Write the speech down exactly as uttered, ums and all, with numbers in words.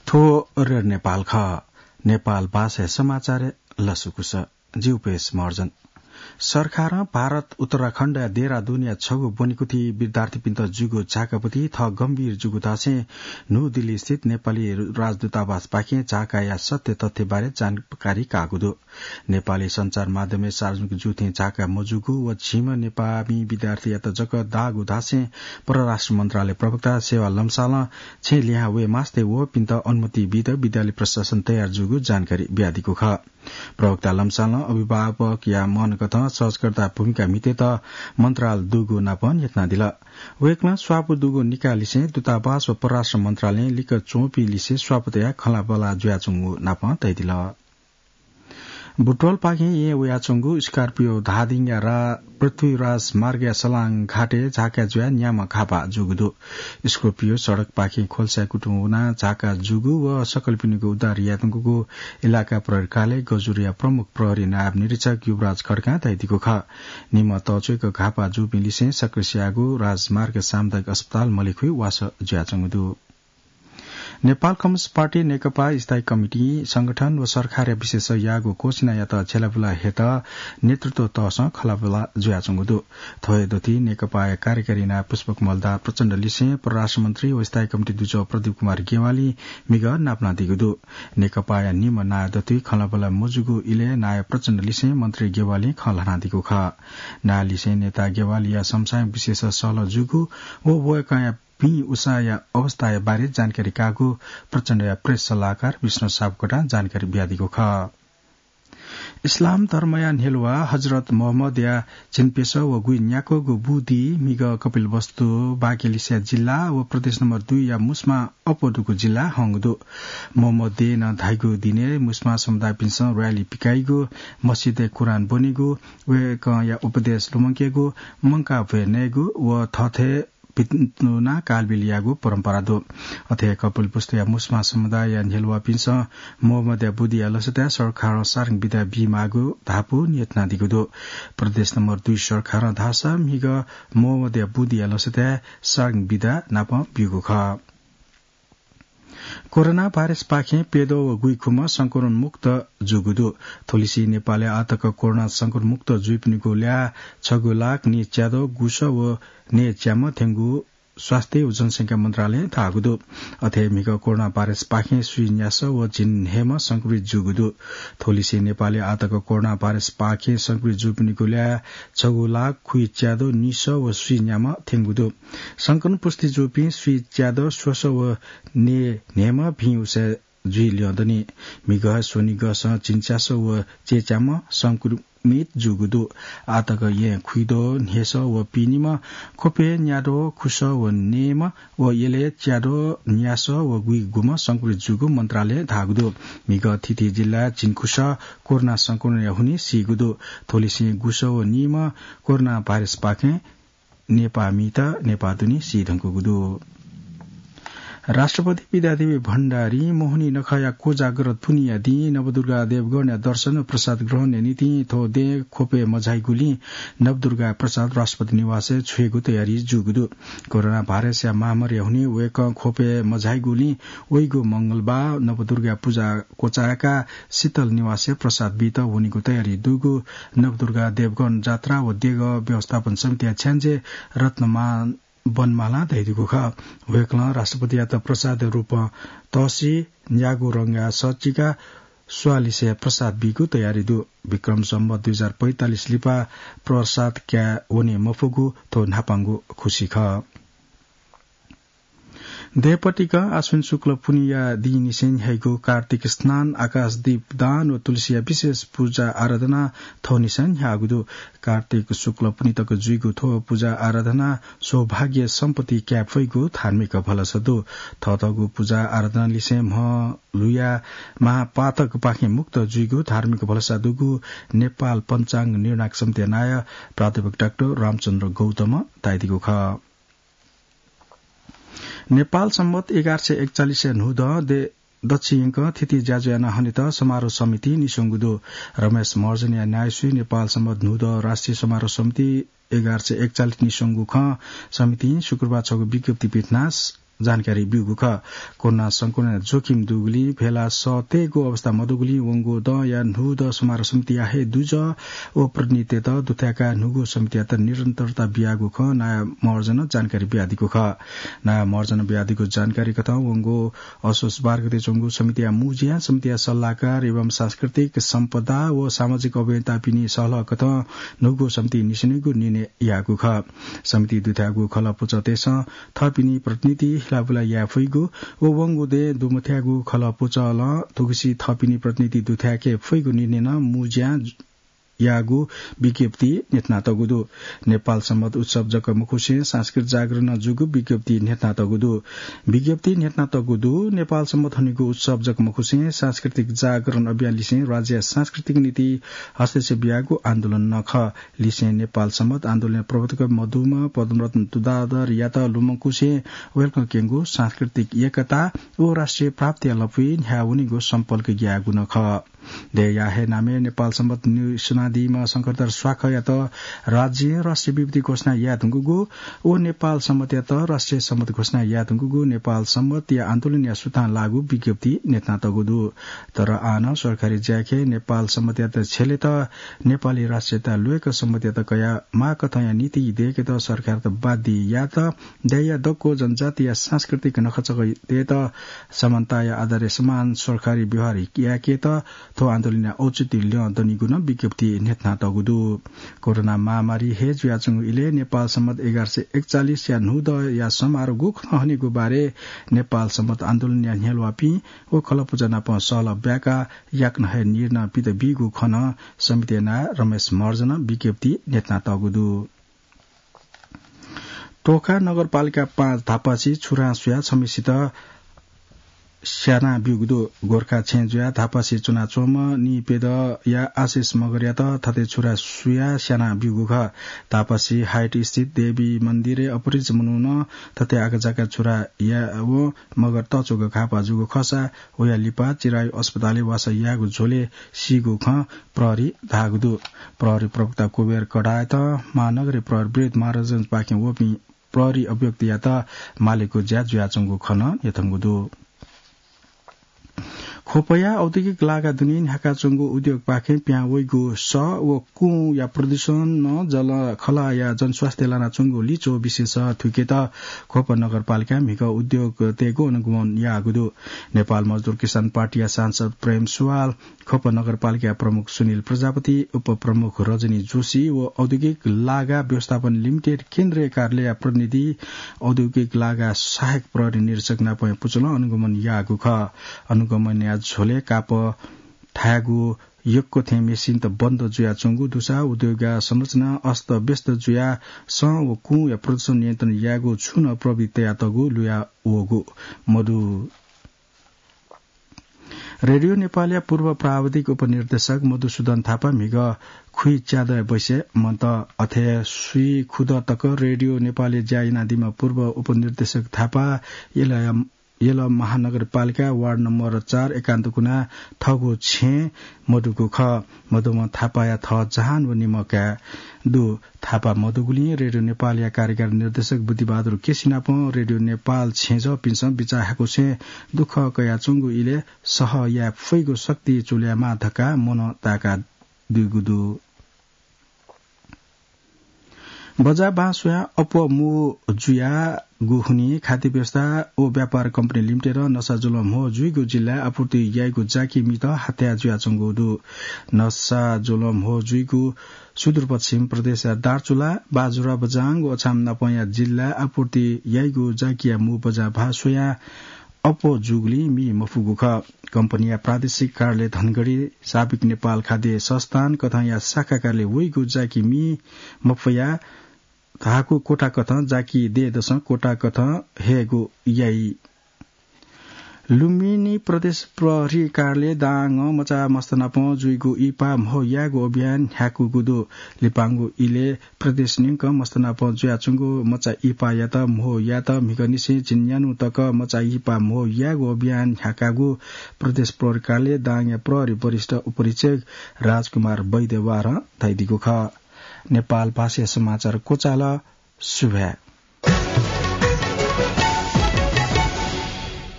थ्व रेडियो नेपाल खः। नेपाल भाषाया समाचार लसकुस। जि उपेश महर्जन। सरकारं भारत उत्तराखण्डया देहरादूनया छगू ब्वनेकुथि विद्यार्थीपिन्त जूगु झाकापति थः गम्भीर जूगु धासें न्हू दिल्ली स्थित नेपाली राजदूतावासपाखें झाकाया सत्य तथ्य बारे जानकारी काःगु दु। नेपाली सञ्चार माध्यमय् सार्वजनिक जूथें झाका मजूगु व झिम्ह नेपाःमि विद्यार्थीयात जक दाःगु धासें परराष्ट्र मन्त्रालय प्रवक्ता सेवा लम्सालं छेँ लिहां वये मास्ति वःपिन्त अनुमति बीत विद्यालय प्रशासन तयार जूगु जानकारी बियादीगु खः। प्रवक्ता लम्सालं अभिभावकया मनकथं सहजकर्ता भूमिका म्हितेत मन्त्रालय दुगु नाप न्ह्यथनादिल। वय्कलं स्वापू दुगु निकाःलिसें दूतावास व परराष्ट्र मन्त्रालयं लिक्क च्वंपिं लिसे स्वापू तयाः खँल्हाबल्हा जुयाच्वंगु नाप धयादिल। बुटवलपाखें येँ वयाच्वंगु स्कर्पियो धादिङया रा-, पृथ्वीराज मार्गया सलाङ घाटय् झाका जुयाः न्याम्ह घापा जूगु दु। स्कर्पियो सडकपाखें खोल्साय् कुतुं वनाः झाका जूगु व सकलपिनिगु उद्धार यायेधुंकूगु इलाका प्रहरी कार्यालय गजुरिया प्रमुख प्रहरी नायब निरीक्षक युवराज खड्कां धयादीगु खः। निम्ह तःच्वय्क घापा जूपिं लिसें सक्रेस्याःगु राजमार्ग सामुदायिक अस्पताल मलेखुइ वासः जुयाच्वंगु दु। नेपाल कम्युनिस्ट पार्टी नेकपा स्थायी कमिटी, संगठन व सरकारया विशेष याःगु घोषणायात झ्यालाबुला हेत नेतृत्व तहसं खँल्हाबल्हा जुयाच्वंगु दु। थ्व हे दथुइ नेकपाया कार्यकारी नायः पुष्पकमल दाहाल प्रचण्डलिसें परराष्ट्र मन्त्री व स्थायी कमिटी दुजः प्रदीप कुमार ज्ञवालीं म्हिगः नापलानादीगु दु। नेकपाया निम्ह नायः दथुइ खँल्हाबल्हा मजूगु इलय् नायः प्रचण्डलिसें मन्त्री ज्ञवालीं खँ ल्हानादीगु खः। नायःलिसें नेता ज्ञवालीया संस्थागत विशेष सहलह जूगु व वय्कःया भिं उसाँया अवस्थाया बारे जानकारी काःगु प्रचण्डया प्रेस सल्लाहकार विष्णु सापकोटां जानकारी बियादीगु खः। इस्लाम धर्मया न्ह्यलुवा हजरत मोहम्मदया झिंप्यसः व गुइन्याक्वःगु बुदी म्हिगः कपिलवस्तु बागेलिसया जिल्ला व प्रदेश नम्बर दुईया मुस्मा अप्वः दुगु जिल्लाय् हंगु दु। मोहम्मदं धाइगु दिनय् मुस्मा समुदायपिन्सं र्‍याली पिकाइगु, मस्जिदय् कुरान ब्वनेगु, वय्कःया उपदेश लुमंकेगु, मंकाः भ्वय् नयेगु व थःथें भिंतुना कालबिल यायेगु परम्परा दु। अथे हे कपिलवस्तुया मुस्मा समुदायया न्ह्यलुवापिन्सं मोहम्मदया बुदिया लसताय् सरकारं सार्वजनिक बिदा बीमाःगु धापू न्ह्यथनादीगु दु। प्रदेश नम्बर दुई सरकारं धाःसा म्हिगः मोहम्मदया बुदिया लसताय् सार्वजनिक बिदा नाप ब्यूगु खः। कोरोना भाइरसपाखें प्यद्वः व गुइखुम्ह संक्रमण मुक्त जूगु दु। थुलिसे नेपालय् आःतक कोरोना संक्रमण मुक्त जुइपिनिगु ल्याः छगू लाख न्यय्च्याद्वः गुसः व न्यय्च्याम्ह थ्यंगु स्वास्थ्य व जनसंख्या मन्त्रालयं धाःगु दु। अथे हे म्हिगः कोरोना भाइरसपाखें स्वीन्यासः व झिंन्हय्म्ह संक्रमित जूगु दु। थुलिसे नेपालय् आःतक कोरोना भाइरसपाखें संक्रमित जूपिनिगु ल्याः छगू लाख खुइच्याद्वः निसः व स्वीन्याम्ह थ्यंगु दु। संक्रमण पुष्टि जूपिं स्वीच्याद्वः स्वसः व न्यय्न्हय्म्ह भिं उसाँय् जुइ ल्यं दनि। म्हिगः स्वनिगःसं झिंच्यासः व चय्च्याम्ह संक्रमित जूगु दु। आःतक येँ खुइद्वः न्हय्सः व पिनिम्ह, ख्वपय् न्याद्वः खुसः व नयेम्ह व यलय् च्याद्वः न्यासः व गुइगुम्ह संक्रमित जूगु मन्त्रालयं धाःगु दु। म्हिगः थीथी जिल्लाय् झिंखुसः कोरोना संक्रमणया हुनिं सीगु दु। थुलिसें गुसः व नीम्ह कोरोना भाइरसपाखें नेपाःमित नेपाः दुने सीधुंकूगु दु। राष्ट्रपति विद्यादेवी भण्डारीं मोहनी नखःया कोजाग्रत पुन्हिया दिं नवदुर्गा देवगणया दर्शन व प्रसाद ग्रहणया निंतिं थ्व दँय् ख्वपय् मझाइगुलिं नवदुर्गा प्रसाद राष्ट्रपति निवासय् छ्वयेगु तयारी जूगु दु। कोरोना भाइरसया महामारीया हुनिं वय्कः ख्वपय् मझाइगुलिं वइगु मंगलबाः नवदुर्गा पुजा क्वचाय्काः शीतल निवासय् प्रसाद बीत वनेगु तयारी दुगु नवदुर्गा देवगण जात्रा व देगः व्यवस्थापन समितिया छ्याञ्जे रत्नमान वनमालां धयादीगु खः। वय्कलं राष्ट्रपतियात प्रसादया रूपं तःसि, न्यागू रंगया सःचिका स्वांलिसे प्रसाद बीगु तयारी दु। विक्रम सम्वत दुई हजार पैंतालिस लिपा प्रसाद काये वने मफुगु थ्व न्हापांगु खुसी खः। दँय्‌पतिकं आश्विन शुक्ल पुन्हिया दिंनिसें न्ह्याइगु कार्तिक स्नान, आकाश दीप दान व तुलसीया विशेष पूजा आराधना थौंनिसें न्ह्याःगु दु। कार्तिक शुक्ल पुन्हि तक जुइगु थ्व पूजा आराधना सौभाग्य सम्पत्ति काये फइगु धार्मिक भलसा दु। थःथःगु पूजा आराधनालिसें म्ह लुया महापातकपाखें मुक्त जुइगु धार्मिक भलसा दुगु नेपाल पञ्चाङ्ग निर्णायक समितिया नायः प्राध्यापक डाक्टर रामचन्द्र गौतमं धयादीगु खः। नेपाल सम्वत एघार सय एकचालिसया न्हूदँ दे-, दच्छियंकं थीथी ज्याझ्वः यानाः हनेत समारोह समितिं निस्वंगु दु। रमेश महर्जनया न्यायसुइ नेपाल सम्वत न्हूदँ राष्ट्रिय समारोह समिति एघार सय एकचालिस निस्वंगु खँ समितिं शुक्रबार छगू विज्ञप्ति पिथनाः स-, जानकारी ब्यूगु खः। कोरोना संक्रमण जोखिम दुगुलिं भेला सःतेगु अवस्था मदुगुलिं वंगु दँया न्हूदँ समारोह समितिया हे दुजः व प्रतिनिधितय्त दुथ्याकाः न्हूगु समितियात निरन्तरता बियागु खँ नायः महर्जनं जानकारी बियादीगु खः। नायः महर्जनं बियादीगु जानकारी कथं वंगु असोज बाह्र गते च्वंगु समितिया मुँज्या, समितिया सल्लाहकार एवं सांस्कृतिक सम्पदा व सामाजिक अभियन्तापिनि सहलह कथं न्हूगु समिति निसेंनिगू निर्णय याःगु खः। समिति दुथ्याःगु खलःपुचःतय्सं थःपिनि प्रतिनिधि हिलाबुला याये फइगु व वंगु दँय् दुमथ्याःगु खलःपुचलं थुगुसी थःपिनि प्रतिनिधि दुथ्याके फइगु निर्णय नं मुँज्यां याःगु विज्ञप्ति न्ह्यथनातःगु दु। नेपाल संवत उत्सव जक मखुसें सांस्कृतिक जागरण नं जूगु विज्ञप्ति न्ह्यथनातःगु दु। विज्ञप्ति न्ह्यथनातःगु दु। नेपाल संवत हनेगु उत्सव जक मखुसें सांस्कृतिक जागरण अभियान लिसें राज्य सांस्कृतिक नीति हस्तक्षेप याःगु आन्दोलन नं खः। लिसें नेपाल संवत आन्दोलनया प्रवर्तक मदुम्ह पद्मरत्न तुलाधरयात लुमंकुसें वय्कलं क्यंगु सांस्कृतिक एकता व राष्ट्रिय प्राप्तिया लँपुइ न्ह्याः वनेगु सम्पल्क याःगु नं खः। दँया हे नामय् नेपाल संवत निसुनादीम्ह शंखधर स्वाखयात राज्यं राष्ट्रिय विभूति घोषणा याये धुंकूगु व नेपाल संवतयात राष्ट्रिय संवत घोषणा याये धुंकूगु नेपाल संवतया आन्दोलनया सुथां लाःगु विज्ञप्ति न्ह्यथनातःगु दु। तर आः नं सरकारी ज्याखँय् नेपाल संवतयात छ्यलेत, नेपाली राष्ट्रियता ल्वय्क संवतयात कयाः माःकथंया नीति दय्केत सरकारयात बाध्य यायेत दँया दक्व जनजातिया सांस्कृतिक नखःचखःतय्त समानताया आधारय् समान सरकारी व्यवहार याकेत थ्व आन्दोलनया औचित्य ल्यं दनिगु नं विज्ञप्तिइ न्ह्यथनातःगु दु। कोरोना महामारी हे जुयाच्वंगु इलय् नेपाल संवत एघार सय एकचालिसया न्हूदँया समारोह गुकथं हनेगु बारे नेपाल संवत आन्दोलनया न्ह्यलुवापिं व खलःपुचः नाप सहलह ब्याकाः याकनं हे निर्णय पित बीगु खँ नं समितिया नायः रमेश महर्जनं विज्ञप्तिइ न्ह्यथनातःगु दु। तोखा नगरपालिका पाँच धापासी छुरा सुयाः छम्हेसित स्याना ब्यूगु दु। गोरखा छेँ जुयाः धापासी च्वनाच्वंम्ह निपेदँया आशिष मगरयात थथे छुरा सुयाः स्याना ब्यूगु खः। धापासी हाइट स्थित देवी मन्दिरय् अपरिचित मनुखं थथे आकाझाकां छुरा याःवं मगर तःच्वंक घाःपाः जूगु खःसा वया लिपा चिरायु अस्पतालय् वासः याःगु झ्वलय् सीगु खँ प्रहरीं धाःगु दु। प्रहरी प्रवक्ता कुबेर कडायत महानगरीय प्रहरी वृहत् महाराजगंजपाखें वःपिं प्रहरी अभियोक्तायात मालेगु ज्या जुयाच्वंगु खँ नं न्ह्यथंगु दु। ख्वपया औद्योगिक लागा दुने न्ह्याकाच्वंगु उद्योगपाखें पिहां वइगु सः व कुँया प्रदूषणं जलखलःया जनस्वास्थ्य लानाच्वंगु लिच्वः विशेष थुइकेत ख्वप नगरपालिकां म्हिगः उद्योगतय्गु अनुगमन याःगु दु। नेपाल मजदुर किसान पार्टीया सांसद प्रेम सुवाल, ख्वप नगरपालिका प्रमुख सुनिल प्रजापति, उपप्रमुख रजनी जोशी व औद्योगिक लागा व्यवस्थापन लिमिटेड केन्द्रीय कार्यालयया प्रतिनिधि, औद्योगिक लागा सहायक प्रहरी निरीक्षक नापं पुचलं अनुगमन याःगु खः। अनुगमनया झ्वलय् कापः थायेगु यक्व थें मेसिनत बन्द जुयाच्वंगु दुसा उद्योगया संरचना अस्तव्यस्त जुयाः सः व कुँया प्रदूषण नियन्त्रण यायेगु छुं नं प्रविधि तयातःगु लुया वःगु मदु। रेडियो नेपालया पूर्व प्राविधिक उपनिर्देशक मधुसूदन थापा म्हिगः खुइच्यादँय् बैसे मन्त। अथे सुइखुदँ तक रेडियो नेपालय् ज्या यानादीम्ह पूर्व उपनिर्देशक थापा यल, यल महानगरपालिका वार्ड नम्बर चार एकान्त कुना थःगु छेँ मदुगु खः। मदुम्ह थापाया थः जहान व निम्ह काय् दु। थापा मदुगुलिं रेडियो नेपालया कार्यकारी निर्देशक बुद्धिबहादुर केसी नाप रेडियो नेपाल छेँजःपिन्सं बिचाः हाकुसें दुःख कयाच्वंगु इलय् सह याये फइगु शक्ति चूल्यायेमाः धकाः मन ताय्कादीगु दु। बजाः बां स्वयाः अप्वः मू जुयागु हुनिं खाद्य व्यवस्था व व्यापार कम्पनी लिमिटेडं नसा जुलं म्हो जुइगु जिल्लाय् आपूर्ति याइगु जाकि मीत हात्या जुयाच्वंगु दु। नसा जुलं म्हो जुइगु सुदूरपश्चिम प्रदेशया दार्चुला, बाजुरा, बझाङ व अछाम नापंया जिल्लाय् आपूर्ति याइगु जाकिया मू बजाः बां स्वयाः अप्वः जूगुलिं मी मफुगु खः। कम्पनीया प्रादेशिक कार्यालय धनगढी, साबिक नेपाल खाद्य संस्थान कथंया शाखा कार्यालय वइगु जाकि मी मफयाः धाःगु कोटा कथं जाकि दयेदसं कोटा कथं हयेगु याइ। लुम्बिनी प्रदेश प्रहरी कार्यालय दाङं मचा मस्त नाप जुइगु इहिपा म्हो यायेगु अभियान न्ह्याकूगु दु। लिपांगु इलय् प्रदेश न्यंक मस्त नाप जुयाच्वंगु मचा इहिपायात म्हो यायेत म्हिगःनिसें झिंन्यान्हु तक मचा इहिपा म्हो यायेगु अभियान न्ह्याकागु प्रदेश प्रहरी कार्यालय दाङया प्रहरी वरिष्ठ उपरीक्षक राजकुमार वैद्यवारं धयादीगु खः। नेपाल भाषाया समाचार क्वचाल। सुभाय्।